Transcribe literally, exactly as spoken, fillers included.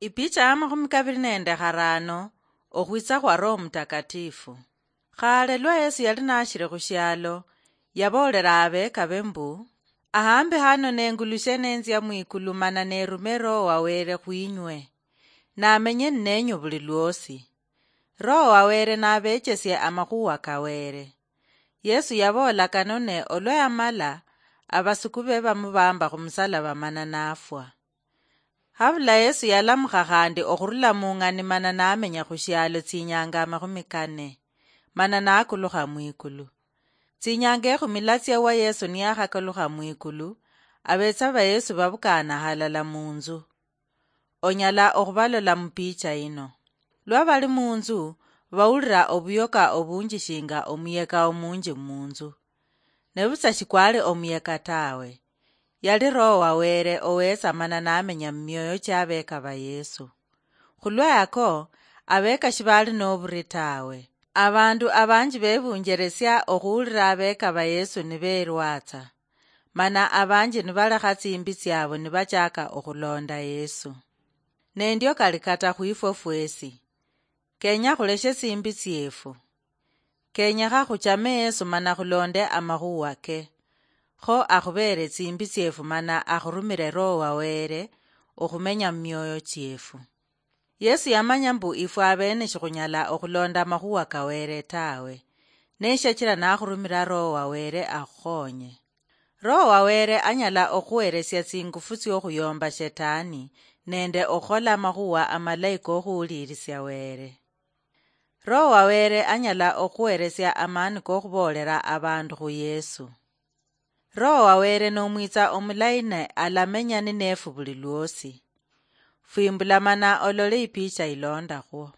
Ipicha ya makhumi kabiri nende kharano. Okhwitsa khwa Roho Mutakatifu. Khale lwa Yesu yali nashiri khushialo, yaboolera abekabe mbu, "Ahambi hano nengulushe nenzia mwikulu mana nerume Roho wa Were khwinywe, namenye ninenyu buli lwosi. Roho wa Were nabechesie amakhuwa ka Were." Yesu yaboola kano ne olwa yamala, abasuku be bamubamba khumusalaba mana nafwa. Habula Yesu yalamukha khandi okhurula mung'ani mana namenya khushialo tsinyanga amakhumi kane, mana nakulukha mwikulu. Tsinyanga ekhumi latsia wa Yesu niyakhakaluha mwikulu, abetsa ba Yesu babukana halala munzu. Onyala okhubalola mupicha ino. Lwa bali munzu, bawulira obuyoka obunji shinga omuyeka omunji munzu. Nebutsa shikwali omuyeka tawe. Yali Roho wa Were owetsa mana namenya mumioyo chia abeka ba Yesu. Khulwa yako, abeka shibali noburi tawe. Abandu abanji bebunjeresia okhuwulira abeka ba Yesu niberwatsa, mana abanji nibalekha tsimbi tsiabo nibachaka okhulonda Yesu. Nendio kali kata khwifwe fwesi. Kenya khuleshe tsimbi tsiefu. Kenyekha khuchame Yesu mana khulonde amakhuwa ke, kho akhubere tsimbi tsiefu mana akhurumire Roho wa Were okhumenya mumioyo chiefu. Yesu yamanya mbu ifwe abene shikhunyala okhulonda amakhuwa ka Were tawe, neshachira nakhurumira Roho wa Were akhukhonye. Roho wa Were anyala okhuweresia tsingufu tsiokhuyomba Shetani nende okhukhola amakhuwa amalayi kokhuwulirisia Were. Roho wa Were anyala okhuweresia amani kokhuboolera abandu khu Yesu. Roho wa Were nomwitsa omulayi ne alamenya ninefu buli lwosi. Fwimbula mana olole ipicha ilondakhwo.